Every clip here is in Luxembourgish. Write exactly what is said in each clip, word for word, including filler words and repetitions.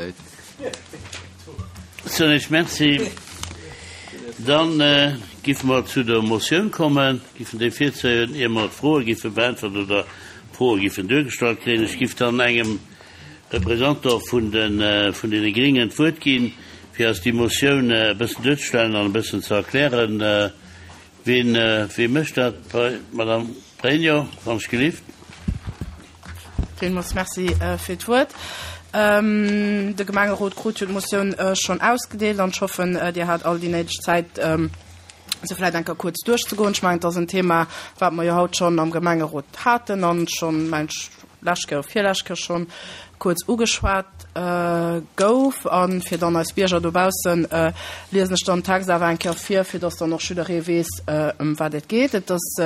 Majoritéit. Soen ech Merci. Dann giffe mer zu der Motioun kommen, giffen déi virzéien, ier mer d'Froe giffe beäntwert oder d'Froe giffen duergestallt kréien. Ech giff dann engem Représentant vun den, vun deene Gringen d'Wuert ginn, fir eis déi Motioun e bëssen duerzestellen an e bëssen ze erklären. Wien, wie mécht dat? Madame Pregno, wann ech gelift. Villmools Merci fir d'Wuert. De Gemengerot krut jo d'Motioun schonn ausgedeelt an ech hoffen, Dir hat all déi néideg Zäit, se vläicht eng Kéier kuerz duerchzegoen. Ech mengen, et ass en Thema, wat mer jo haut schonn am Gemengerot haten an schonn, mengen ech, lescht Kéier, virlescht Kéier schonn kuerz ugeschwat gouf. A fir dann eis Bierger dobaussen, liesen ech dann den Text awer eng Kéier vir, fir dass dann och jidderee weess, ëm wat et geet. Et ass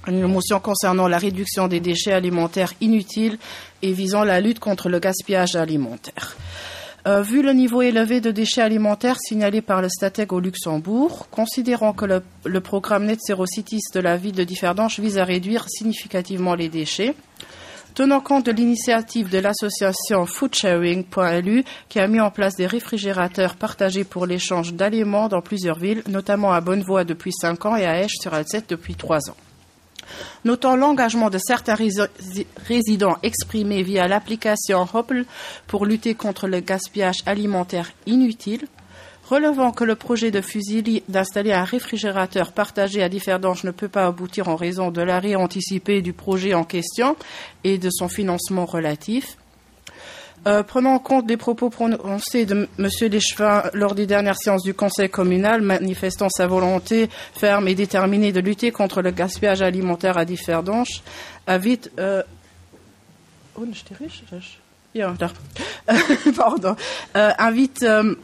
une motion concernant la réduction des déchets alimentaires inutiles et visant la lutte contre le gaspillage alimentaire. Euh, vu le niveau élevé de déchets alimentaires signalé par le Statec au Luxembourg, considérant que le, le programme Net Zero Cities de la ville de Differdange vise à réduire significativement les déchets, tenant compte de l'initiative de l'association foodsharing.lu qui a mis en place des réfrigérateurs partagés pour l'échange d'aliments dans plusieurs villes, notamment à Bonnevoie depuis cinq ans et à Esch-sur-Alzette depuis trois ans. Notant l'engagement de certains résidents exprimé via l'application Hopple pour lutter contre le gaspillage alimentaire inutile, relevant que le projet de Fusilli d'installer un réfrigérateur partagé à Differdange ne peut pas aboutir en raison de l'arrêt anticipé du projet en question et de son financement relatif. Euh, prenant en compte les propos prononcés de M. Léchevin lors des dernières séances du Conseil communal, manifestant sa volonté ferme et déterminée de lutter contre le gaspillage alimentaire à Differdange, invite euh, oh, ja, pardon, euh, invite euh,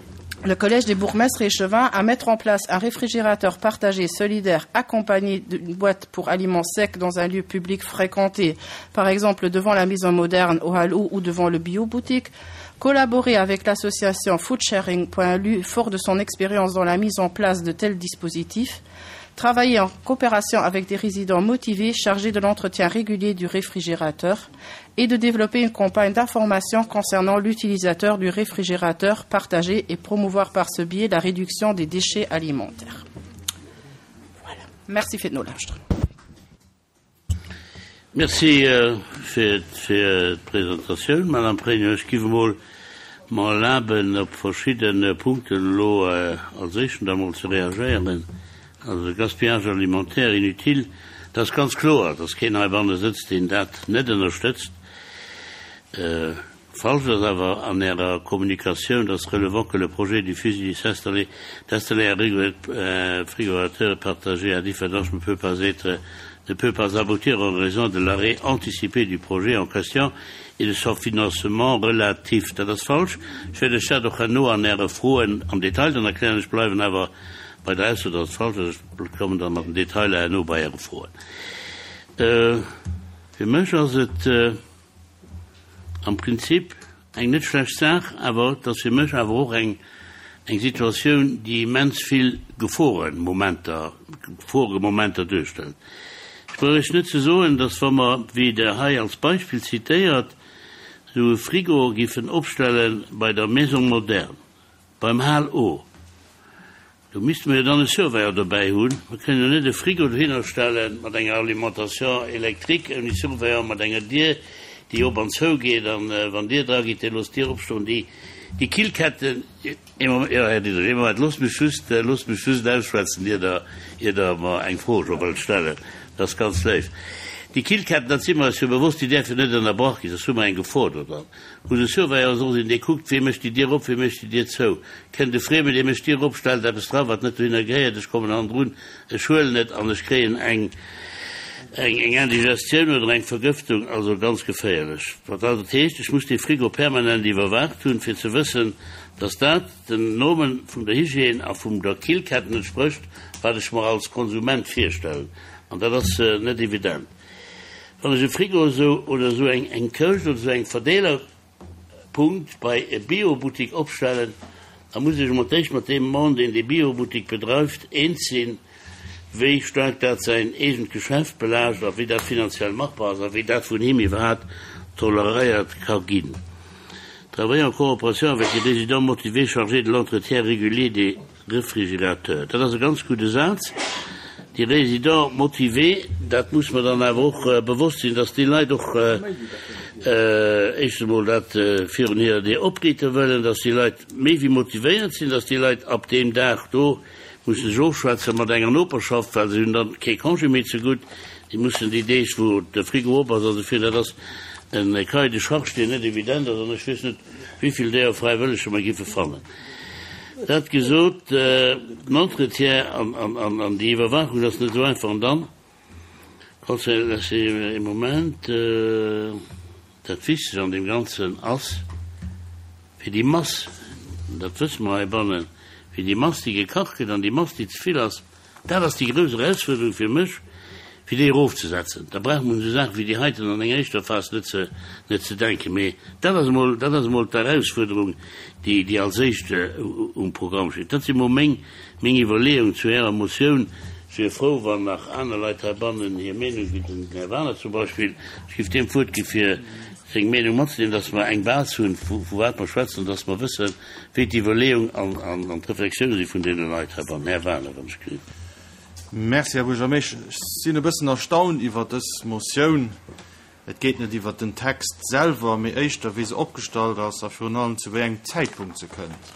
le Collège des bourgmestres et échevins à mettre en place un réfrigérateur partagé solidaire accompagné d'une boîte pour aliments secs dans un lieu public fréquenté, par exemple devant la maison moderne au Hallou ou devant le bio-boutique, collaborer avec l'association foodsharing.lu fort de son expérience dans la mise en place de tels dispositifs, travailler en coopération avec des résidents motivés chargés de l'entretien régulier du réfrigérateur et de développer une campagne d'information concernant l'utilisateur du réfrigérateur partagé et promouvoir par ce biais la réduction des déchets alimentaires. Voilà. Merci fir d'Nolauschteren. Merci fir d'Presentatioun, Madame Pregno. Ech giff emol mer erlaben, op verschidde Punkten elo als éischten da mol ze reagéieren. Also de Gaspillage alimentaire inutile, dat ass ganz kloer, dass keen heibanne sëtzt, deen dat net ënnerstëtzt. Falsch ass awer an Ärer Kommunikatioun, dass relevant que le projet du fusil s'installer, d'installer un frigorifique partagé à Differdange ne peut pas être, ne peut pas aboutir en raison de l'arrêt anticipé du projet en question et de son financement relatif. Dat ass falsch. Ech wäert lech dat och herno an Äre Froen am Detail dann erklären. Ech bleiwen awer bei der Ausso, dass et falsch ass. Ech kommen da mat den Detailer herno bei Äre Froen. Fir mech ass et am Prinzip eng net schlecht Saach, awer et ass fir mech awer och eng eng Situatioun, déi immens vill Geforenmomenter, Geforemomenter duerstellt. Ech brauch Iech net ze soen, dass wa mer, wéi Der hei als Beispill zitéiert, esou e Frigo giffen opstelle bei der Maison moderne, beim Hal O, do misste mer jo dann e Surveillant dobäi hunn. Mer kënnen jo net e Frigo dohinner stelle mat enger Alimentation électrique ouni Surveillant, mat enger Dier, déi op an zou geet, an wann Dir dra gitt, Dir loosst d'Dier opstoen, déi, déi Killketten, ee Moment, jo, Här Diderich, ee Moment, loosst mech just, loosst mech just ausschwätzen, ier Der, ier Der mer eng Fro scho wëllt stellen. Dat ass ganz léif. Déi Killketten, dat si mer eis jo bewosst, déi däerfen net ënnerbrach ginn, soss hu mer eng Gefor do dran. Muss e Surveillant och sinn, dee kuckt, wee mécht déi Dier op, wee mécht déi Dier zou. Kënnt e Friemen, dee mécht d'Dier op, stellt eppes dra wat net dohinner gehéiert, ech kommen hannendrun, ech huelen et an ech kréien eng, eng, eng Indigestioun oder eng Vergëftung, also ganz geféierlech. Wat also dat heescht, ech muss dee Frigo permanent iwwerwaacht hunn, fir ze wëssen, dass dat den Normen vun der Hygiène a vum der Killketten entsprécht, wat ech mer als Konsument virstellen. An dat ass net evident. Wann ech e Frigo esou oder esou eng eng Këscht oder esou eng Verdeelerpunkt bei e Biobuttik opstellen, da muss ech emol d'éischt mat deem Mann, deen dee Biobuttik bedreift, eens sinn, wéi staark dat säin eegent Geschäft belaascht a wéi dat finanziell machbar ass a wéi dat vun him iwwerhaapt toleréiert ka ginn. Travailler en coopération avec les résidents motivés chargés de l'entretien régulier des réfrigérateurs. Dat ass e ganz gudde Saz. Déi Résidents motivés, dat muss mer dann awer och äh, bewosst sinn, dass déi Leit och äh, äh, éischt emol dat äh, virun hirer Dier opriichte wëllen, dass déi Leit méi wéi motivéiert sinn, dass déi Leit ab deem Dag do mussen sech ofschwätze mat enger Noperschaft, well se hunn dann kee Congé méi ze gutt, déi mussen déi Deeg, wou de Frigo op ass, also fir dat ass en Cahier de charge, deen net evident ass, an ech weess net, wéi vill där Fräiwëlleger mer giffe fannen. Dat gesot, äh, den Entretien an, an, an, an déi Iwwerwaachung ass net esou einfach. An dann, Conseil, dat ass e Moment, äh, dat Wichtegst an deem Ganzen ass, fir déi Mass, dat wësse mer heibannen, fir déi Mass, déi gekacht gëtt an déi Mass, déi ze vill ass, dat ass déi grouss Erausfuerderung fir mech, fir déi erofzesetzen. Da brauch mer un esou Saache wéi déi heiten an enger éischter Phas net ze, net ze denken. Mee dat ass emol, dat ass emol d'Erausfuerderung, déi, déi als éischt um Programm steet. Dat si mol meng, meng Iwwerleeungen zu Ärer Motioun. Ech wier frou, wann nach aner Leit heibannen hir Meenung, wéi den Här Wagener zum Beispill, ech géif deem d'Wuert gi fir seng Meenung matzedeelen, dass mer eng Base hunn, vu, vu wat mer schwätzen, dass mer wëssen, wéi d'Iwwerleeung an, an, an d'Reflexioune si vun deene Leit heibannen. Här Wagener, wann ech gelift. Merci, Här Buergermeeschter. Ech sinn e bëssen erstaunt iwwer dës Motioun. Et geet net iwwer den Text selwer, mee éischter, wéi se opgestallt ass a virun allem zu wéi engem Zäitpunkt se kënnt.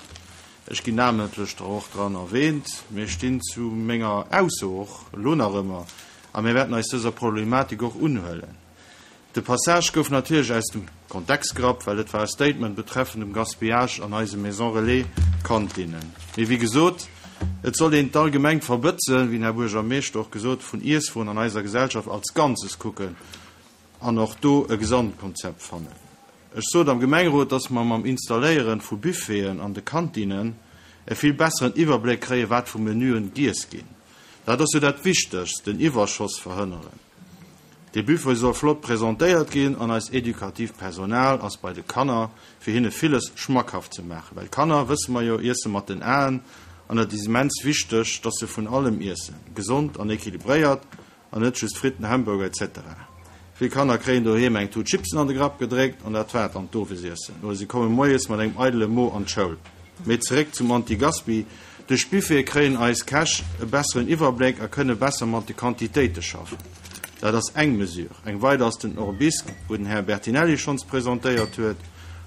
Ech ginn namentlech der och dran erwähnt. Mir stinn zu menger Ausso och elo nach ëmmer a mir wäerten eis dëser Problematik och unhuelen. De Passage gouf natierlech aus dem Kontext gerappt, well et war e Statement betreffend dem Gaspillage an eise Maison Relais Kantinnen. Mee wéi gesot, et soll een d'allgemengt Verbëtzen, wéi den Här Buergermeeschter och gesot, vun Iesswueren an eiser Gesellschaft als Ganzes kucken an och do e Gesamtkonzept fannen. Ech sot am Gemengerot, dass mer mam Installéieren vu Buffeten an de Kantinnen e vill besseren Iwwerbléck kréien, wat vu Menüen giess ginn. Dat ass jo dat Wichtegst, den Iwwerschoss verhënneren. De Buffet soll flott presentéiert ginn an eist edukatiivt Personal ass bei de Kanner, fir hinne villes schmackhaft ze maachen. Well Kanner, wësse mer jo, iesse mat den Aen an et ass immens wichteg, dass se vun allem iessen, gesond an equilibréiert an net just Fritten, Hamburger et cetera. Vill Kanner kréien doheem eng Tut Chipsen an de Grapp gedréckt an dat war et an d'Owesiessen. Oder si komme moies mat engem eidele Mo an d'Schoul. Mee zeréck zum Anti-Gaspi, Duerch d'Buffete kréien eis Käch e besseren Iwwerbléck a kënne besser mat de Quantitéite schaffen. Dat ass eng Mesure. Eng weider ass den Orbisc, wou den Här Bertinelli schonns presentéiert huet.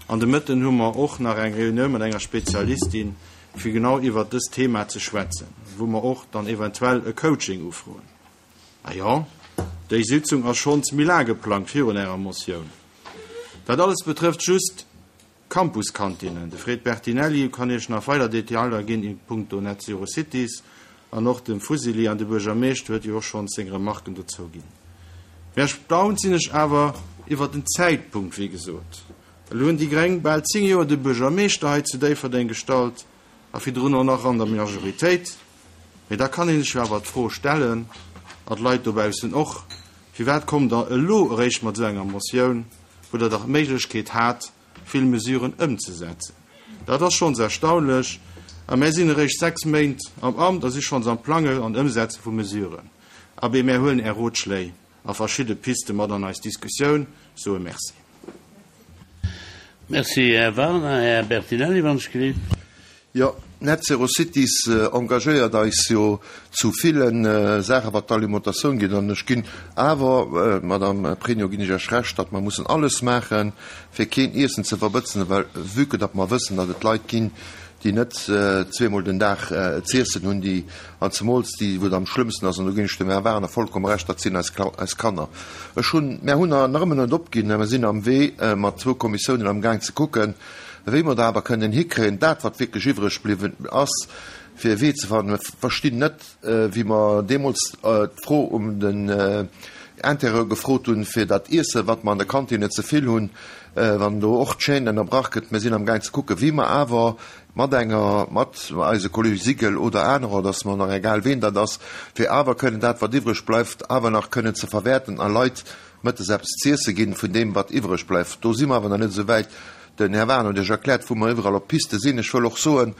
An de Mëtten hu mer och nach eng Reunioun mat enger Spezialistin, fir genau iwwert dëst Thema ze schwätzen, wou mer och dann eventuell e Coaching ufroen. Ah jo, déi Sitzung ass schonns méi laang geplangt virun Ärer Motioun. Dat alles betrëfft just Campuskantinnen. De Fred Bertinelli kann Iech nach weider Detailer ginn in puncto Net Zero Cities an och dem Fuseli an de Buergermeeschter huet jo och schonns seng Remarken dozou ginn. Méi erstaunt sinn ech awer iwwer den Zäitpunkt, wéi gesot. Elo hunn déi Gréng bal zéng Joer de Buergermeeschter hei zu Déifferdeng gestallt a virdrun och nach an der Majoritéit. Mee da kann een sech jo awer d'Fro stellen, a d'Leit dobaussen och, Firwat kommt Der elo eréischt mat esou enger Motioun, wou Der dach d'Méiglechkeet hat, vill Mesuren ëmzesetzen? Dat ass schonns erstaunlech. A mär sinn eréischt sechs Méint am Amt a si schonns am Plangen an Ëmsetze vu Mesuren. Abee, mär huelen Är Rotschléi a verschidde Piste mat an eis Diskussioun, soe Merci. Merci, Här Wagener. Här Bertinelli, wann ech gelift. Jo, Net Zero Cities engagéiert eis jo zu ville Saachen, wat d'Alimentatioun geet. An ech ginn awer, Madame Pregno, ginn ech Iech Recht, datt mer mussen alles maachen, fir keen Iessen ze verbëtzen, well vue que datt mer wëssen, datt et Leit ginn, déi net zweemol den Dag z'iessen hunn, déi, an zemools déi, wou et am schlëmmsten ass, an do ginn ech dem Här Wagener vollkomm Recht, dat sinn eis, eis Kanner. Ech hunn, mär hunn nach ëmmer net opginn, mä mer sinn am Wee mat zwou Kommissiounen amgaang ze kucken, wéi mer dat awer kënnen hikréien, dat wat wierklech iwwreg bliwwen ass, fir e Wee ze fannen. Mer verstinn net, wéi mer deemools d'Fro um den Intérieur gefrot hunn, fir dat Iessen, wat mer an der Kantine ze vill hunn, wann do och d'Chaîne ënnerbrach gëtt. Mir sinn amgaang ze kucken, wéi mer awer mat enger, mat eise Kolleeg Sigel oder anerer, et ass mer nach egal, ween dat ass, fir awer kënnen dat, wat iwwreg bleift, awer nach kënnen ze verwäerten a Leit mëttes eppes z'iesse ginn vun deem, wat iwwreg bleift. Do si mer awer nach net esou wäit. Den Här Wagener huet Iech erkläert, wou mer iwwerall op Piste sinn. Ech wëll och soen,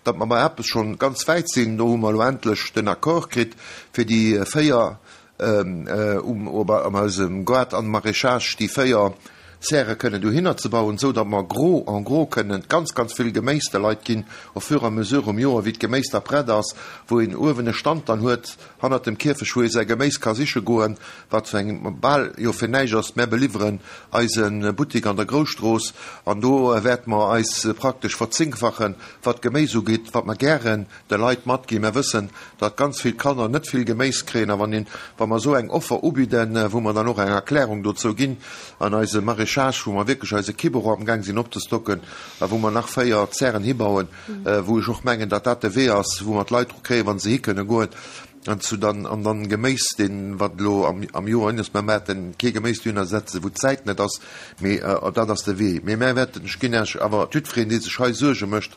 datt mer bei eppes schonn ganz wäit sinn. Do hu mer elo endlech den Accord kritt fir déi véier um, an eisem Gaart an Maraîchage, déi véier Zäre kënnen dohinner ze bauen, sou datt mer gros, en gros kënnen ganz, ganz vill Geméis de Leit ginn, au fur et à mesure um Joer, wéi d'Geméis da prett ass, wou een uewen e Stand dann huet hannert dem Kierfecht, wou ee säi Geméis ka siche goen, wat zu engem bal jo fir näischt ass. Mär beliwweren eise Buttik an der Grousstrooss an do wäerte mer eis praktesch verzéngfachen, wat d'Geméis ugeet, wat mer gären de Leit matginn. Mer wëssen, datt ganz vill Kanner net vill Geméis kréien a wann een, wa mer esou eng Offer ubidden, wou mer dann och eng Erklärung dozou ginn an eise Maraîchage, wou mer wierklech eis Ekipp och amgaang sinn opzestocken a wou mer nach véier Zären hibauen, wou ech och mengen, datt dat de Wee ass, wou mer d'Leit dru kréien, wa se hi kënne goen an zu dann an dann Geméis, deen, wat elo am, am Joer hin ass. Mer wäerten kee Geméis dohinner setzen, wou d'Zäit net ass, mee dat ass de Wee. Mee mer wäerten, ech ginn Iech awer, jiddwereen, dee sech hei Suerge mécht,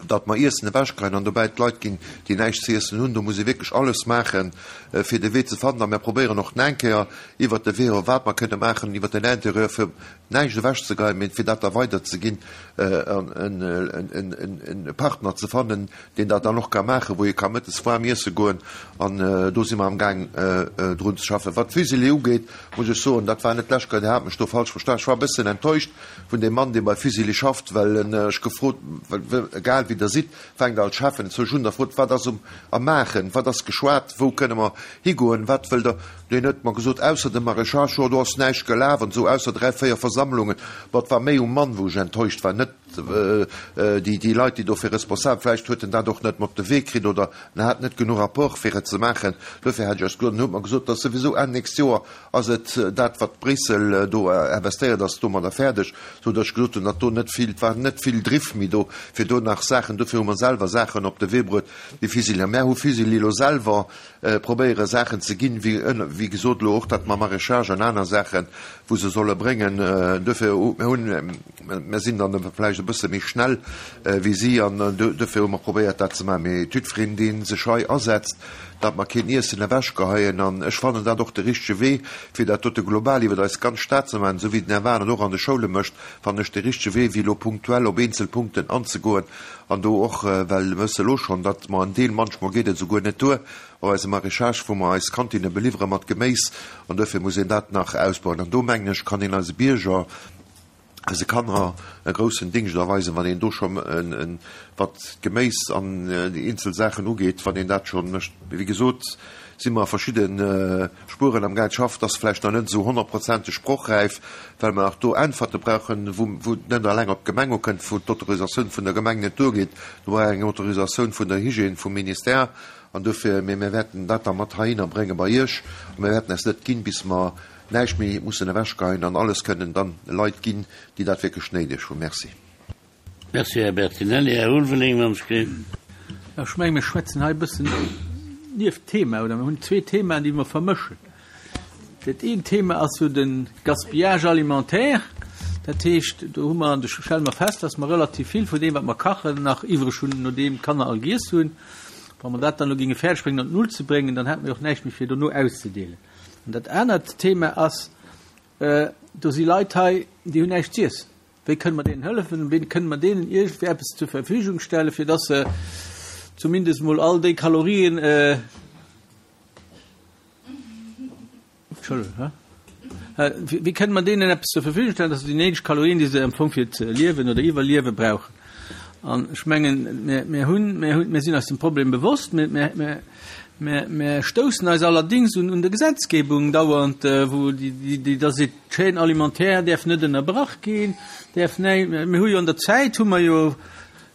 datt mer Iessen ewechkreien an dobäi d'Leit ginn, déi näischt ze iessen hunn. Do muss ee wierklech alles maachen, fir de Wee ze fannen. A mir probéieren och nach eng Kéier iwwert de Wee, wat mer kënne maachen iwwert den Interieur, fir näischt ewechzegeien, mee fir dat da weiderzeginn an e Partner ze fannen, deen dat dann och ka maachen, wou ee ka mëttes waarm iesse goen. An do si mer amgaang drun ze schaffen. Wat d'Fusilli ugeet, muss ech soen, dat war net d'lescht Kéier, Dir hat mech do falsch verstan, ech war e bëssen enttäuscht vun deem Mann, dee bei Fusilli schafft, well en ech gefrot, well egal wéi Der sidd, fänkt alt Cheffen zu ech hunn der frot, wat ass um am Maachen, wat ass geschwat, wou kënne mer higoen, wat wëllt Der? Deen huet mer gesot, ausser dem Maraîchage, jo do ass näischt gelaf an esou, ausser dräi, véier Versammlungen. Bon, et war méi um Mann, wou ech enttäuscht war, net déi déi Leit, déi dofir responsabel, vläicht huet en dat och net mat op de Wee kritt oder en hat net genuch Rapport fir et ze maachen. Dofir hat ech eis gesot, en huet mer gesot, dass souwisou Enn nächst Joer ass et dat, wat Bréissel do investéiert, ass domadder fäerdeg, sou datt ech gesot hunn, datt do net vill, et war net vill Driff méi do, fir do nach Saachen, dofir hu mer selwer Saachen op de Wee bruet, wéi Fusilli. A mär hu Fusilli elo selwer probéiere Saachen ze ginn, wéi, wéi gesot elo och dat mam Maraîchage an aner Saachen, wou se solle bréngen. Dofir, mir hunn, mir sinn dann vläicht e bësse méi schnell wéi si an dofir hu mer probéiert dat ze maachen. Mee jiddwereen, dee sech hei asetzt, datt mer keen Iessen ewechgeheien, an ech fannen dat och de richtege Wee, fir dat dote global iwwer eis ganz Stad ze maachen, esou wéi den Här Wahl et och an de Schoule mécht, fannen ech de richtege Wee, wéi elo punktuell op eenzel Punkten anzegoen an do och, well mir wësse elo schonn, datt mer en Deel, manchmol geet et esouguer net duer, op eise Maraîchage, wou mer eis Kantinne beliwwere mat Geméis, an duerfir muss een dat nach ausbauen. An do, mengen ech, kann een eise Bierger, eise Kanner e groussen Dingscht erweisen, wann een do scho wat d'Geméis an déi eenzel Saachen ugeet, wann een dat scho mécht. Mee wéi gesot, si mer a verschidde Spueren am Gaang. D'Schaft ass vläicht nach net esou honnertprozenteg sprochräif, well mer nach do Äntwerte brauchen, wou et net eleng op d'Gemeng ukënnt, wou d'Autorisatioun vun der Gemeng net duergeet. Do brauch een eng Autorisatioun vun der Hygiène, vum Ministère. An dofir, mee mir wäerten dat da mat heihinner brénge bei Iech a mir wäerten eis net ginn, bis mer näischt méi mussen ewechgeheien an alles kënnen dann Leit ginn, déi dat wierklech néideg hunn. Merci. Merci, Här Bertinelli. Här Ulveling, wann ech géif. Ech mengen, mir schwätzen hei e bëssen nieft Thema, oder mir hunn zwee Themaen, déi mer vermëschen. Dat eent Thema ass jo de Gaspillage alimentaire. Dat heescht, do hu mer, do stelle mer fest, dass mer relativ vill vun deem, wat mer kachen, nach iwwreg hunn, nodeem d'Kanner all giess hunn. Wa mer dat dann elo géinge fäerdeg bréngen, an d'Null ze bréngen, dann hätte mer jo och näischt méi fir dono auszedeelen. An dat anert Thema ass, do si Leit hei, déi hunn näischt z'iessen. Wéi kënne mer deenen hëllefen? Wéi kënne mer deenen iergendwéi eppes zur Verfügung stellen, fir dass se zumindest emol all déi Kalorien, Entschëllegung, wéi kënne mer deenen eppes zur Verfügung stellen, dass se déi néideg Kalorien, déi se am Fong fir ze liewen oder iwwerliewe brauchen? An ech mengen, mir, mir hunn, mir hunn, mir sinn eis dem Problem bewosst. Mir, mir, mir, mir, mir stoussen eis allerdings un, un der Gesetzgebung dauernd, wou déi, déi, déi da seet, d'Chaîne alimentaire däerf net ënnerbrach ginn, däerf näi-, mir hu jo an der Zäit hu mer jo,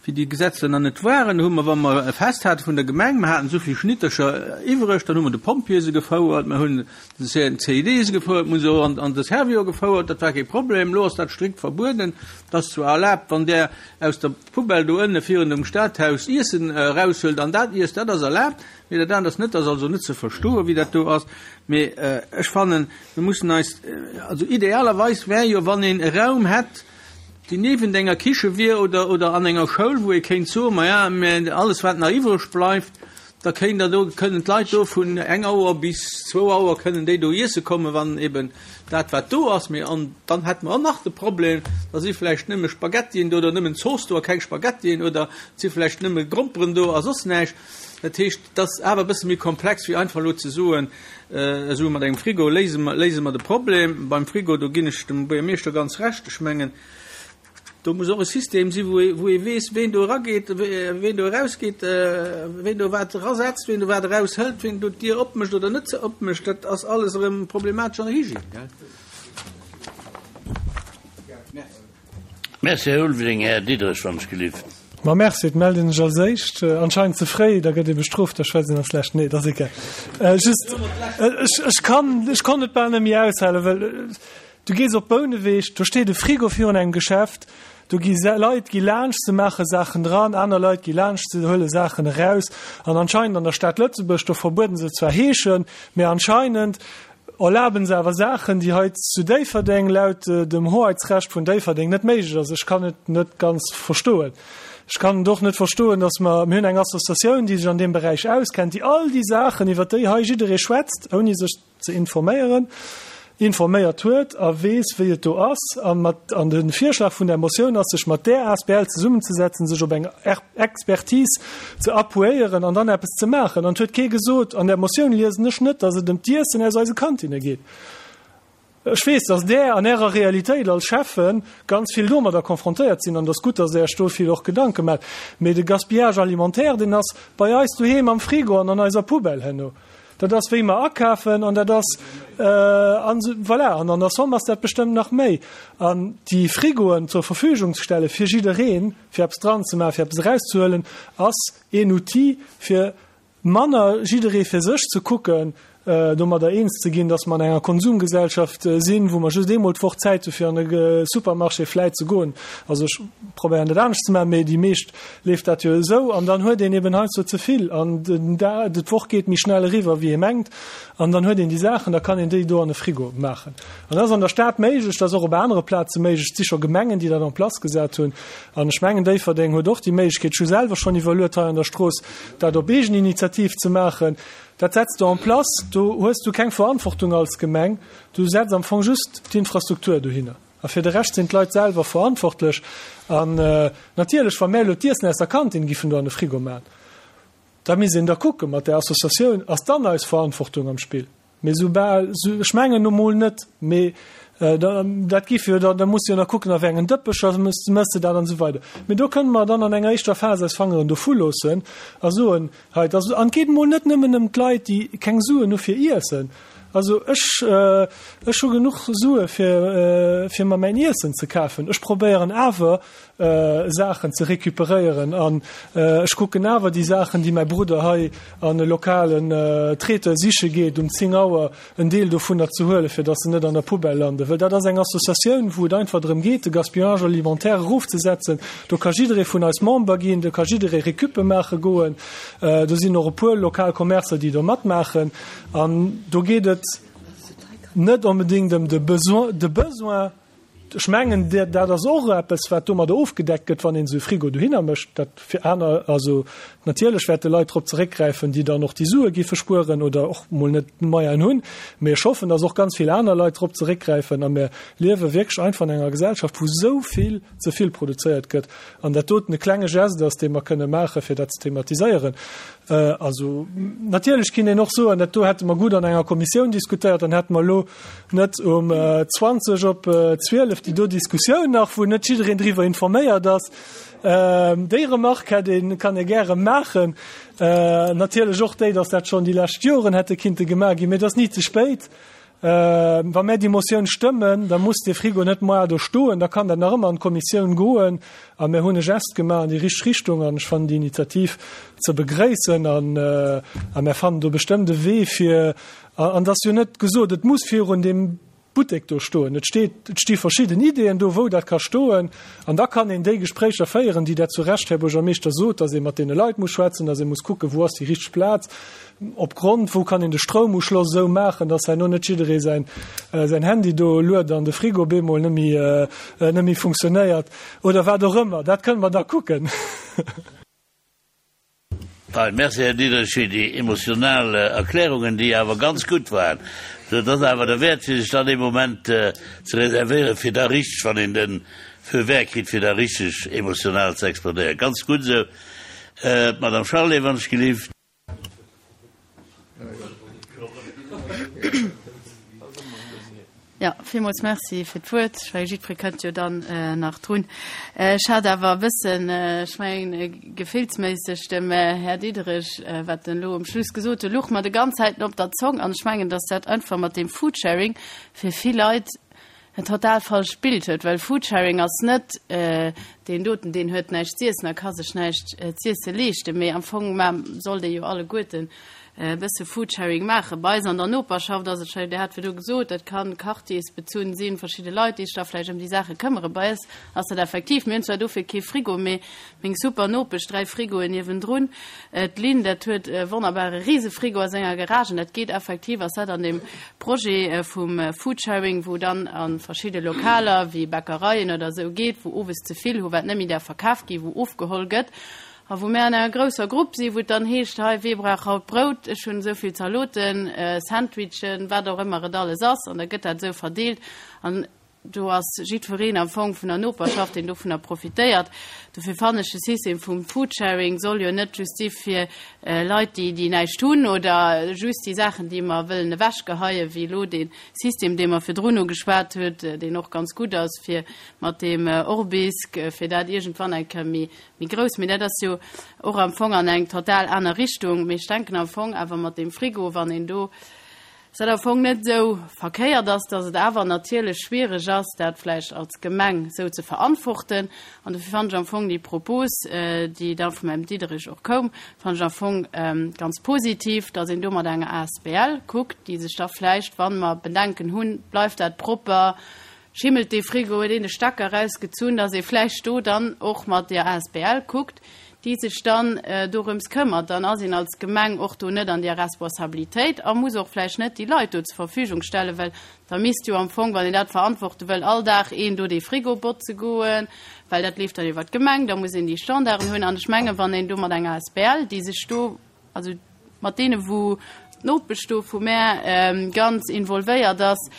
wéi déi Gesetzler nach net waren, hu mer, wa mer e Fest hate vun der Gemeng, mer haten esou vill Schnittercher iwwreg, dann hu mer de Pompjeeë se gefouert, mer hunn de C I D se gefouert, mer hu se och an, an de Servior gefouert, dat war kee Problem. Elo ass dat strikt verbueden. Et ass zwar erlaabt, wann där aus der Poubelle do ënne virun dem Stadhaus Iessen eraushuelt an dat iesst, dat ass erlaabt, mee dat anert ass net. Dat ass also net ze verstoen, wéi dat do ass. Mee ech fannen, mir mussen eis, also idealerweis wär jo, wann een e Raum hätt, déi niewent enger Kiche wier oder, oder an enger Schoul, wou ee kéint soen, maja, mä alles wat nach iwwreg bleift, da kéint der do, kënnen d'Leit do vun eng Auer bis zwou Auer kënnen déi do iesse kommen, wann eben dat wat do ass. Mee an dann hätte mer och nach de Problem, da si vläicht nëmme Spaghettien do oder nëmmen Zooss do a keng Spaghettien oder et si vläicht nëmme Gromperen do a soss näischt. Dat heescht, et ass awer e bësse méi komplex wéi einfach elo ze soen, esou mat engem Frigo léise mer, léise mer de Problem. Beim Frigo, do ginn ech dem Buergermeeschter ganz Recht, ech mengen, do muss och e System si wou ee, wou ee weess, ween do erageet, ween do erausgeet, ween do wat erasetzt, ween do wat eraushëlt, ween do d'Dier opmécht oder net opmécht. Dat ass alles erëm problematesch an der Hygiène, gell? Merci, Här Ulveling. Här Diderich, wann ech gelift. Ma merci, et mellt een sech als éischt, anscheinend ze fréi, da gëtt ee bestrooft, da schwätzt een als lescht. Nee, et ass egal. Just, ech, ech kann, ech konnt et bal net méi aushalen, well du gees op Bouneweg, do steet e Frigo virun engem Geschäft, do gi Leit gi laanscht, se maache Saachen dran, aner Leit gi laanscht, se huele Saachen eraus. An anscheinend an der Stad Lëtzebuerg, do verbueden se zwar Heeschen, mä anscheinend erlaben se awer Saachen, déi hei zu Déifferdeng laut dem Hoheitsrecht vun Déifferdeng net méiglech ass. Ech kann et net ganz verstoen. Ech kann et och net verstoen, dass mer, mir hunn eng Associatioun, déi sech an deem Beräich auskennt, déi all déi Saachen, iwwert déi hei jidderee schwätzt, ouni sech ze informéieren, informéiert huet a weess, wéi et do ass. A mat, an de Virschlag vun där Motioun ass, sech mat där asbl zesummenzesetzen, sech op eng Expertise ze appuéieren an dann eppes ze maachen. An et huet kee gesot, an där Motioun liesen ech net, dass et ëm d'Iessen aus eise Kantinne geet. Ech weess, dass Där an Ärer Realitéit als Schäffe ganz vill domadder konfrontéiert sinn, an et ass gutt, dass Der Iech do vill och Gedanke maacht. Mee de Gaspillage alimentaire, deen ass bei eis doheem am Frigo an an eiser Poubelle herno. Dat ass, wéi mer akafen, an dat ass, an voilà, an an der Somme ass dat bestëmmt nach méi. An déi Frigoen zur Verfügung ze stelle fir jiddereen, fir eppes dran ze maachen, fir eppes erauszehuelen, ass een Outil, fir manner jidderee fir sech ze kucken, domadder eens ze ginn, dass mer an enger Konsumgesellschaft sinn, wou mer just eemol d'Woch Zäit hu fir an e Supermarché vläit ze goen. Also ech probéieren dat anescht ze maachen, mee déi meescht leeft dat jo esou. An dann huet een eben heiansdo ze vill an d'Woch geet méi schnell eriwwer wéi ee mengt an dann huet een déi Saachen, da kann een déi do an e Frigo maachen. An dat ass an der Stad méiglech, dat ass och op anere Plaze méiglech. Et si scho Gemengen, déi dat en place gesat hunn. An ech mengen, Déifferdeng huet och déi Méiglechkeet, ech hu selwer schonn iwwerluet hei an der Strooss, dat op eegen Initiativ ze maachen. Dat setz de en place, do hues du keng Verantwortung als Gemeng, du setz am Fong just d'Infrastruktur dohinner. A fir de Rescht sinn d'Leit selwer verantwortlech. An natierlech, wa mär elo d'Iessen aus der Kantin giffen do an de Frigo maachen, da misst een da kucke mat där Associatioun, ass dann eis Verantwortung am Spill? Mee soubal, ech mengen nu mol net, mee dat giff jo dann, da muss de jo nach kucken, a wéi engen Dëppecher mëss de dat an esou weider. Mee do kënne mer dann an enger éischter Phas eis Fangeren dovu loossen a soen, hei, et ass, an et geet emol net nëmmen ëm d'Leit, déi keng Suen hu fir Iessen. Also ech, ech hu genuch Sue fir, fir mer mäin Iessen ze kafen. Ech probéieren awer, Saachen ze recuperéieren an ech kucken awer déi Saachen, déi mäi Brudder hei an e lokalen Traiteur siche geet, um zéng Auer en Deel dovunner ze huelen, fir datt se net an der Poubelle landen. Well dat ass eng Associatioun, wou et einfach drëm geet, de Gaspillage alimentaire erofzesetzen. Do ka jidderee vun eis Member ginn, do ka jidderee Récuppe maache goen. Do sinn och e puer lokal Commercer, déi do matmaachen. An do geet et net onbedéngt ëm de Besoin, Ech mengen, dat ass och eppes, wat domadder ofgedeckt gëtt, wann een esou e Frigo dohinner mécht. Dat fir aner, also natierlech wäerte Leit drop zeréckgräifen, déi dann och déi Sue géife spueren oder och mol net d'Moyenen hunn. Mee ech hoffen, dass och ganz vill aner Leit drop zeréckgräifen. A mir liewe wierklech einfach an enger Gesellschaft, wou esou vill ze vill produzéiert gëtt an dat doten e klenge Geste ass, dee mer kënne maachen, fir dat ze thematiséieren. Also natierlech kinnt een och soen, dat do hätte mer gutt an enger Kommissioun diskutéiert, dann hätte mer elo net um zwanzeg op zwielef déi do Diskussioun nach, wou net jiddereen driwwer informéiert ass. Déi Remarque hätt een, kann ee gäre maachen. Natierlech och déi, datt dat schonn déi lescht Joren hätte kinnte gemaach ginn, mee et ass ni ze spéit. Wa mär déi Motioun stëmmen, da muss dee Frigo net moar do stoen, da kann dat nach ëmmer an d'Kommissioun goen. A mär hunn e Geste gemaach an déi richteg Richtung an ech fannen déi Initiativ ze begréissen an a mär fannen do bestëmmt e Wee fir, an et ass jo net gesot, et muss virun deem Buttek do stoen. Et steet, et sti verschidden Ideeën do, wou dat ka stoen. An da kann een déi Gespréicher féieren, déi Der zu Recht, Här Buergermeeschter, sot, dass ee mat deene Leit muss schwätzen, dass ee muss kucken, wou ass déi richteg Plaz, opgrond, wou kann een de Stroumuschloss esou maachen, dass herno net jidderee säin, säin Handy do luet an de Frigo bemol net méi, net méi funktionéiert oder wat och ëmmer. Dat kënne mer da kucken. Fein, merci Här Diderich fir déi emotional Erklärungen, déi awer ganz gutt waren. Et ass awer derwäert fir sech dann ee Moment ze reservéieren, fir da richteg, wann een de Feu vert kritt, fir da richteg emotional ze explodéieren. Ganz gutt esou. D'Madame Charlé, wann ech gelift. Ja, villmools Merci fir d'Wuert. Ech mengen, jiddweree kënnt jo dann nach drun. Ech hat awer e bëssen, ech mengen, gefillsméisseg dem Här Diderich, wat en elo um Schluss gesot huet, luch mer de ganz Zäiten op der Zong. An ech mengen, dass dat einfach mat deem Foodsharing fir vill Leit en total falscht Bild huet, well Foodsharing ass net deen doten, deen huet näischt z'iessen a ka sech näischt z'iesse leeschten, mee am Fong sollt ee jo alleguerten e bësse Foodsharing maachen. Bei eis an der Noperschaft ass et, Dir hat virdu gesot, dat kann quartiersbezunn sinn, verschidde Leit, déi sech da vläicht ëm déi Saache këmmere. Bei eis ass dat effektiv, mir hunn zwar dofir kee Frigo, mee meng super Nopesch, dräi Frigoen niewendrun, d'Lynn, dat huet e wonnerbare Risefrigo a senger Garage an dat geet effektiv, ass dat an deem Projet vum Foodsharing, wou dann a verschidde Lokaler wéi Bäckereien oder esou geet, wou owes ze vill hu wat net méi däerf verkaf ginn, wou ofgeholl gëtt. A wou mär an enger grousser Grupp sinn, wou et dann heescht, hei, wee brauch haut Brout, ech hunn esou vill Zaloten, Sandwichen, wat och ëmmer et alles ass, an da gëtt dat esou verdeelt. An do ass jiddwereen am Fong vun der Noperschaft, deen dovunner profitéiert. Dofir fannen ech de System vum Foodsharing soll jo net just si fir Leit, déi, déi näischt hunn oder just déi Saachen, déi mer wëllen ewechgeheien, wéi elo dee System, dee mer virdrun ugeschwat huet, deen och ganz gutt ass fir mat deem Orbisk, fir dat iergendwann eng Kéier méi, méi grouss, mee dat ass jo och am Fong an eng total aner Richtung. Mee ech denken am Fong awer mat deem Frigo, wann een do, dass dat am Fong net esou verkéiert ass, dass et awer natierlech schwierig ass, dat vläicht als Gemeng esou ze verantworten. An dofir fannen ech am Fong déi Propos, déi da vum Här Diderich och koum, fannen ech am Fong ganz positiv, dass een do mat enger asbl kuckt, déi sech da vläicht, wa mer Bedenken hunn, bleift dat propper, Schimmelt dee Frigo, huet een de Stecker erausgezunn, dass ee vläicht do dann och mat der asbl kuckt, déi sech dann dorëms këmmert. Dann ass een als Gemeng och do net an där Responsabilitéit a muss och vläicht net déi Leit do zur Verfügung stellen, well da misst jo am Fong, wann een dat verantworte wëll, all Dag een do dee Frigo botze goen, well dat leeft dann iwwert d'Gemeng, da muss een déi Standarden hunn. An ech mengen, wann een do mat enger asbl, déi sech do, also mat deene wou d'Nopesch do vu mär ganz involvéiert ass,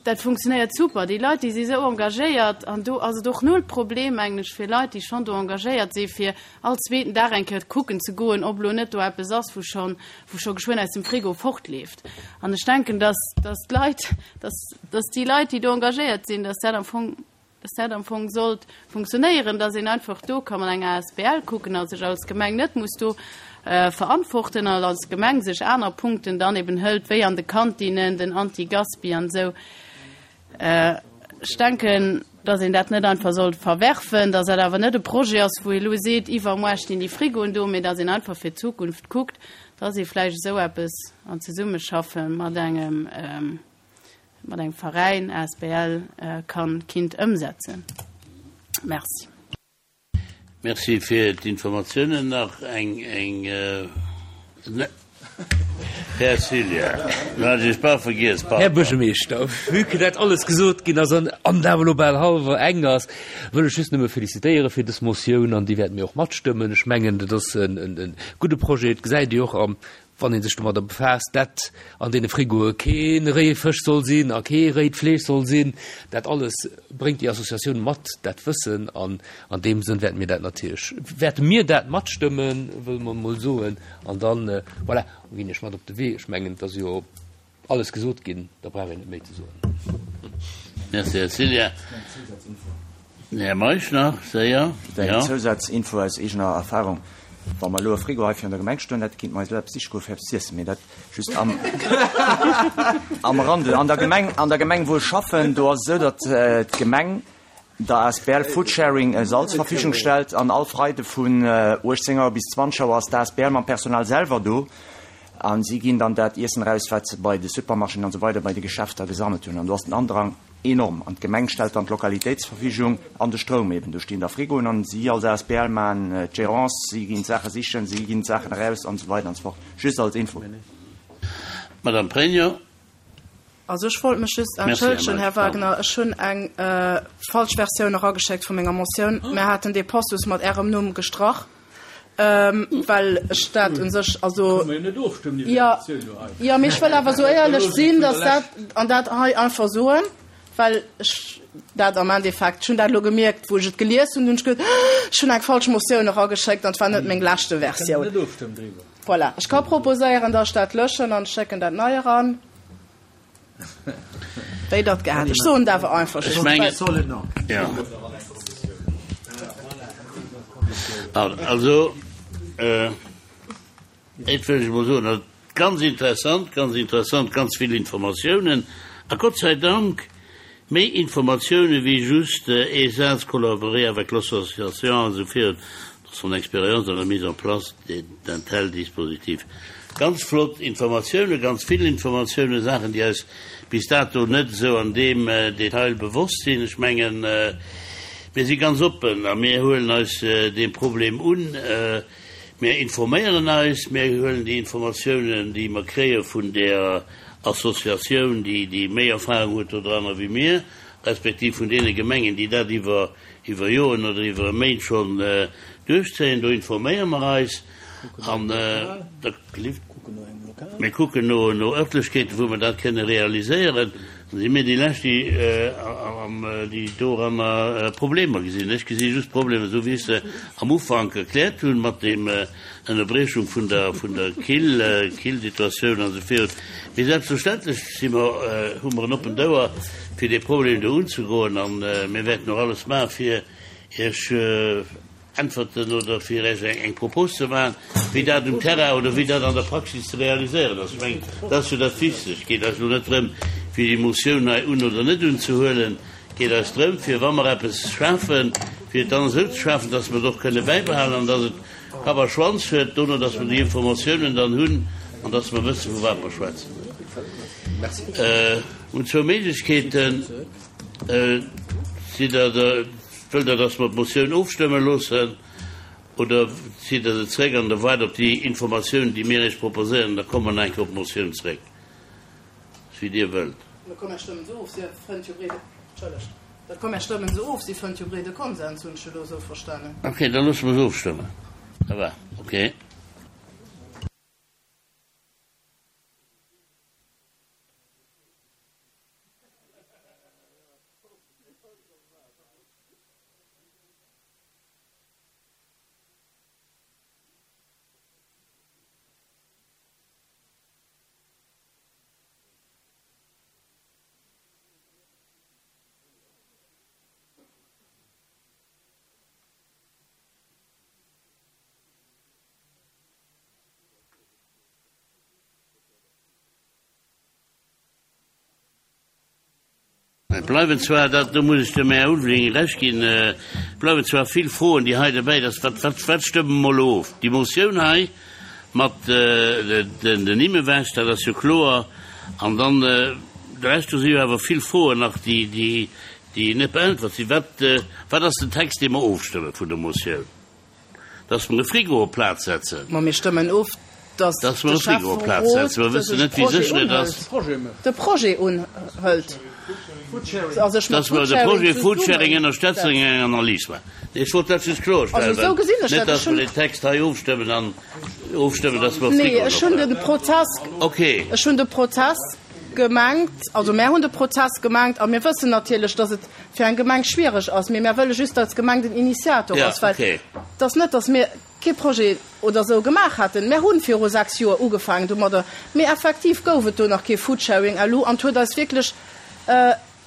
Dat funktionéiert super. Déi Leit, déi si sou engagéiert an do ass et och null Problem, mengen ech, fir Leit, déi schonn do engagéiert si fir all zweeten Dag eng Kéier kucken ze goen, ob elo net do eppes ass, wou schonn, wou scho geschwënn aus dem Frigo fortleeft. An ech denken, dass, dass d'Leit, dass, dass déi Leit, déi do engagéiert sinn, dass dat am Fong, dass dat am Fong sollt funktionéieren, dass een einfach do ka mat enger asbl kucken a sech als Gemeng net muss do verantworten an als Gemeng sech aner Punkten dann eben hëlt, wéi an de Kantinen, den Anti-Gaspi an esou. Ech denken, dass een dat net einfach sollt verwerfen, dass dat awer net e Projet ass, wou ee elo seet, iwwermuer stinn déi Frigoen do, mee dass een einfach fir d'Zukunft kuckt, dass ee vläicht esou eppes an Zesummeschaffe mat engem, mat engem Veräin, asbl, kann, kinnt ëmsetzen. Merci. Merci fir d'Informatiounen. Nach eng, eng, Här Cillien, lo hat ech Iech bal vergiess, Här pardon. Buergermeeschter, vue que dat alles gesot ginn ass an an awer elo bal hallwer eng ass, wëll ech just nëmme felicitéiere fir dës Motioun an déi wäerte mir och matstëmmen. Ech mengen, dat ass en, en, en gudde Projet. Et gesäit ee jo och am wann ee sech domadder befaasst, dat an deene Frigoe kee réie Fësch soll sinn a kee réit Fleesch soll sinn, dat alles bréngt déi Associatioun mat, dat Wëssen. An an deem Sënn wäerte mir dat natierlech, wäerte mir dat matstëmmen, wëlle mer emol soen. An dann, voilà, ginn ech mat op de Wee. Ech mengen, et ass jo alles gesot ginn, da brauch een net méi ze soen. Merci, Här Cillien. Här Meisch nach, séier. Eng Zousazinfo aus eegener Erfahrung, Wa mer elo e Frigo hei virun der Gemeng stoen hätten, kéinte mer eis elo eppes siche goe fir eppes z'iessen. Mee dat just am am Rande. An der Gemeng, an der Gemeng wou ech schaffen, do ass et esou, datt d'Gemeng der asbl Foodsharing e Sall zur Verfügung stellt an all Freide vun uechtzéng Auer bis zwanzeg Auer ass d'asbl mam Personal selwer do a si ginn dann dat Iessen eraus, wat se bei de Supermarchéen an esou weider bei de Geschäfter gesammelt hunn. An do ass den Andrang enorm. An d'Gemeng stellt dann d'Lokalitéit zur Verfügung an de Stroum eben. Do stinn da Frigoen an si als asbl maachen d'Gérance, si ginn d'Saache sichen, si ginn d'Saachen eraus an esou weider an esou fort. Just als Info. Madame Pregno. Also ech wollt mech just Merci, Här entschëllegen, Här Meisch. Pardon. Wagner, ech hunn eng falsch Versioun erageschéckt vu menger Motioun. Mir haten dee Passus mat Ärem Numm gestrach. Well ech dat u sech, also, jo, jo, mee ech wëll awer esou éierlech sinn, datt dat, an dat hei einfach soen, well ech dat am Endeffekt, ech hunn dat elo gemierkt, wou ech et gelies hunn, hunn ech geduet, ech hunn eng falsch Motioun erageschéckt an et war net meng leschte Versioun. Voilà, ech ka proposéieren, datt ech dat löschen an ech schécken dat nei eran. Wéi Der et gär hätt. Ech soen et awer einfach Ech just, mengen, well. jo. Also, et wëll ech emol soen, also ganz interessant, ganz interessant, ganz vill Informatiounen a Gott sei Dank méi Informatiounen wéi just ee Saz, collaborer avec l'association an esou virun, dans son expérience dans la mise en place d'un tel dispositif. Ganz flott Informatiounen, ganz vill Informatiounen, Saachen, déi eis bis dato net esou an deem Detail bewosst sinn. Ech mengen, mir si ganz oppen a mir huelen eis deem Problem un. Mir informéieren eis, mir huelen déi Informatiounen, déi mer kréie vun där Associatioun, déi déi méi Erfahrung huet dodranner wéi mir, respektiv vun deene Gemengen, déi dat iwwer iwwer Joren oder iwwer Méint schonn duerchzéien. Do informéiere mer eis an da mir kucken no no Ërtlechkeeten, wou mer dat kënne realiséieren. Da si mir déi Lescht, déi déi doranner Problemer gesinn. Ech gesi just Problemer, esou wéi ech se am Ufank erkläert hunn, mat dem Ënnerbriechung vun der vun der Kill Killsituatioun an esou virun. Mee selbstverständlech si mer hu mer en oppent Ouer, fir dee Problem do unzegoen, a mir wäerten och alles maachen, fir Iech Äntwerten oder fir Iech eng Propos ze maachen, wéi dat um Terrain oder wéi dat an der Praxis ze realiséieren ass. Ech mengen, dat ass jo dat Wichtegst. Et geet eis elo net drëm, fir déi Motioun hei un oder net unzehuelen. Et geet eis drëm, fir, wa mer eppes schafen, fir et dann esou ze schafen, dass mer et och kënne bäibehalen an dass et Kapp a Schwanz huet dono, dass mer déi Informatiounen dann hunn an dass mer wëssen, vu wat mer schwätzen. Mir hunn zwou Méiglechkeeten. Sidd Der der, wëllt Der, dass mer d'Motioun ofstëmme loossen oder zitt Der se zréck an Der waart op déi Informatiounen, déi mir Iech proposéieren, da komme mer nach eng Kéier op d'Motioun zréck? Ass wéi Dir wëllt. Mä komm, mir stëmmen se of. Si fënnt jo breede, Entschëllegt, dat komm, mir stëmmen se of. Si fënnt jo breede Konsens, hunn ech elo esou verstanen. Okay, da loosse mer se ofstëmmen. Ça va, okay. Et bleiwen zwar, dat, do muss ech dem Här Ulveling Recht ginn, et bleiwen zwar vill Froen, déi hei derbäi, dass, wat, wat, wat stëmme mer elo of? Déi Motioun hei mat den Nimm ewech, dat ass jo kloer. An dann de Rescht, do si jo awer vill Froen nach, déi, déi, déi net beäntwert sinn. Wat, wat ass den Text, dee mer ofstëmme vun der Motioun? Dass mer e Frigo op d'Plaz setzen. Ma mir stëmmen of, dass Dass de mer e Frigo op d'Plaz Schäfferot setzen. Mer dëse wëssen net, wéi Projet sécher et ass. unhëlt. De Projet unhëlt. A sech mat Dass mer de Foodsharing Projet Foodsharing ënnerstëtzen zesummesetzt. an eng Analys maachen. Ech wollt dat just kloerstellen, Also esou well gesinn ech net, dat. Ech dass mer hunn. den Text hei ofstëmmen an ofstëmmen, dass mer Nee, Frigoen ech hunn opbauen. de Prozess, Okay. ech hunn de Prozess gemengt, also mär hunn de Prozess gemengt a mir wëssen natierlech, dass et fir eng Gemeng schwierig ass, mee mär wëlle just, dass d'Gemeng den Initiator Ja, ass, well okay. et ass net, dass mir kee Projet oder esou gemaach hätten. Mär hunn viru sechs Joer ugefaangen domadder, mee effektiv gouf et do nach kee Foodsharing elo an et huet eis wierklech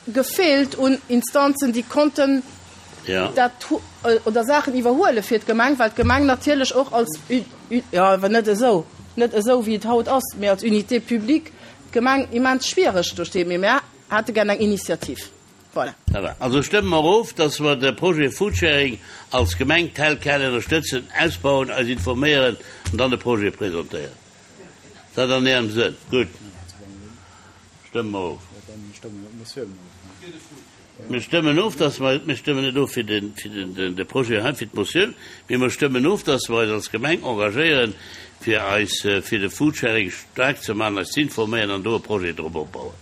gefeelt un Instanzen, déi konnten Ja. dat oder Saachen iwwerhuele fir d'Gemeng, well d'Gemeng natierlech och als, jo awer net esou, net esou wéi et haut ass, mee als Unité publique d'Gemeng immens schwiereg do steet. Mee mär hätte gär eng Initiativ. Voilà. Ça va. Also stëmme mer of, dass mer de Projet Foodsharing als Gemeng tel quel ënnerstëtzen, ausbauen, eis informéieren an dann de Projet presentéieren. Ass dat an Ärem Sënn? Gutt. Stëmme mer of. Mir stëmmen of, dass mer, mir stëmmen net of fir den, fir den, den, de Projet hei, fir d'Motioun, mee mer stëmmen of, dass mer eis als Gemeng engagéieren, fir eis fir de Foodsharing staark ze maachen, eis z'informéieren an do e Projet drop opbauen.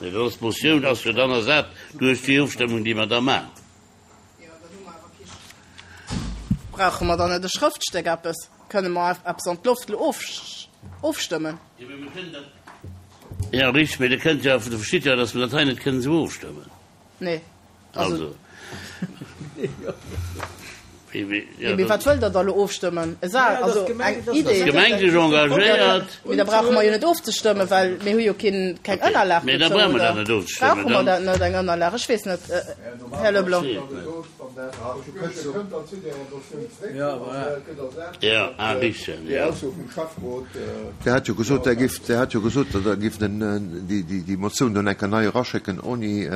Nee, dat ass d'Motioun ass jo dann ersat duerch déi Ofstëmmung, déi mer da maachen. Brauche mer dann net e Schrëftstéck eppes? Kënne mer eppes an d'Loft elo ofstëmmen? Jo, richteg, mee Der kënnt jo, Der verstitt jo, datt mer dat hei net kënnen esou ofstëmmen. Nee. Also. Mee wat wëllt Der da elo ofstëmmen? E Sa, also eng Idee. D'Gemeng sech engagéiert. Mee da brauche mer jo net ofzestëmmen, well mir hu jo keen, keng Ënnerlag Mee da dozou, brauche mer oder? dat net ofzestëmmen. Brauche mer dat net, eng Ënnerlag? Ech weess net, Här Leblanc. Jo, ah, richteg, jo. Dir hat jo gesot, Der gift, Dir hat jo gesot, Der gift den, déi, déi, déi Motioun do enker nei eraschécken, oni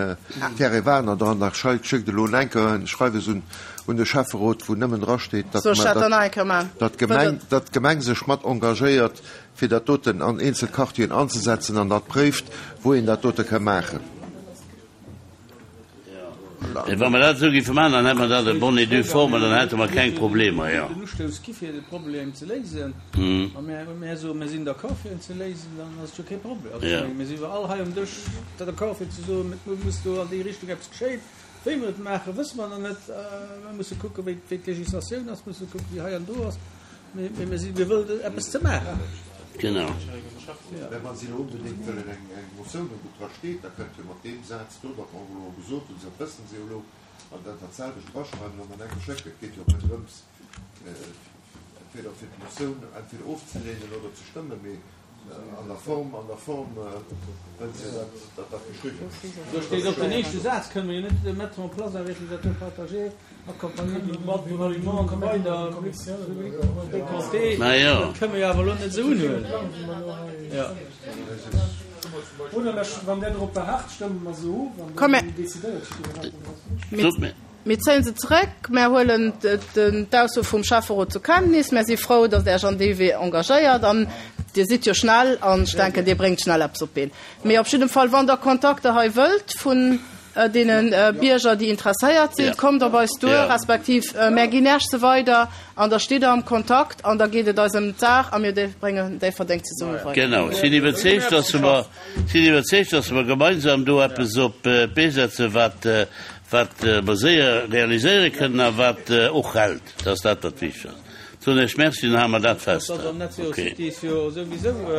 Thierry Wagner dran. Da schéckt elo enker en Schreiwes un, un de Schäfferot, wou nëmmen drasteet, datt Soll ech mer, dat dann nach eng Kéier maachen? datt d'Gemeng, datt d'Gemeng sech mat engagéiert, fir dat doten an eenzel Quartieren anzesetzen an dat préift, wou een dat dote ka maachen. Mee wa mer dat esou géife maachen, dann hätte mer dat en bonne et due forme, dann hätte mer keng Problemer, jo. Den Ustouss gi fir de Problem ze léisen, a mär, mär soen, mir sinn d'accord fir en ze léisen, dann ass et jo kee Problem. Also ech menge mir si jo all hei um Dësch d'accord fir ze soen, et muss do an déi Richtung eppes geschéien. Wéi mer et maachen, wësse mer nach net. Mer musse kucken, wéi d'Législatioun ass, musse kucken, wéi hei an do ass. Mee mir si, mir wëllen eppes ze maachen. Genau. Mä wa si elo onbedéngt wëllen eng Motioun hunn, wou dra steet, da kënnt jo mat deem Saz do, wat mer och elo gesot hunn, dat wëssen se jo elo, an dat dat selwecht draschreiwen an dann enke schécken. Et geet jo och net drëms, entweder fir d'Motioun entweder ofzelehnen oder ze stëmmen, mee An der Form, an der Form wëllt se, datt, datt dat geschriwwen ass. Do steet och den éischte Saz, kënne mer jo net mettre en place un réfrigérateur partagé accompagné d'une boîte pour aliment an esou weider, fréquenté, dat kënne mer jo awer elo net esou unhuelen. Jo. Oder wann Der drop beharrt, stëmme mer se of an Komm, dann decidéiert jiddwereen. Mir. Mir zéien se zeréck. Mär huelen d'Ausso vum Schäfferot zur Kenntnis. Mär si frou, datt Der Iech an dee Wee engagéiert. An Dir sidd jo schnell an ech denken, Dir bréngt schnell eppes op d'Been. Mee op jiddem Fall, wann Der Kontakter hei wëllt vun deene Bierger, déi interesséiert sinn, kommt op eis duer, respektiv mär ginn Iech se weider an da stitt Der am Kontakt an da geet et eis ëm d'Saach a mir bréngen Déifferdeng zesumme weider. Genau. Ech sinn iwwerzeegt, datt mer, sinn iwwerzeegt, datt mer gemeinsam do eppes op d'Bee setzen, wat Wat mer séier realiséiere kënnen a wat och hält, dat ass dat, wat wichteg ass. Soen ech Merci, dann hale mer dat fest. Dat ass am Netz jo Okay. Cities jo souwisou.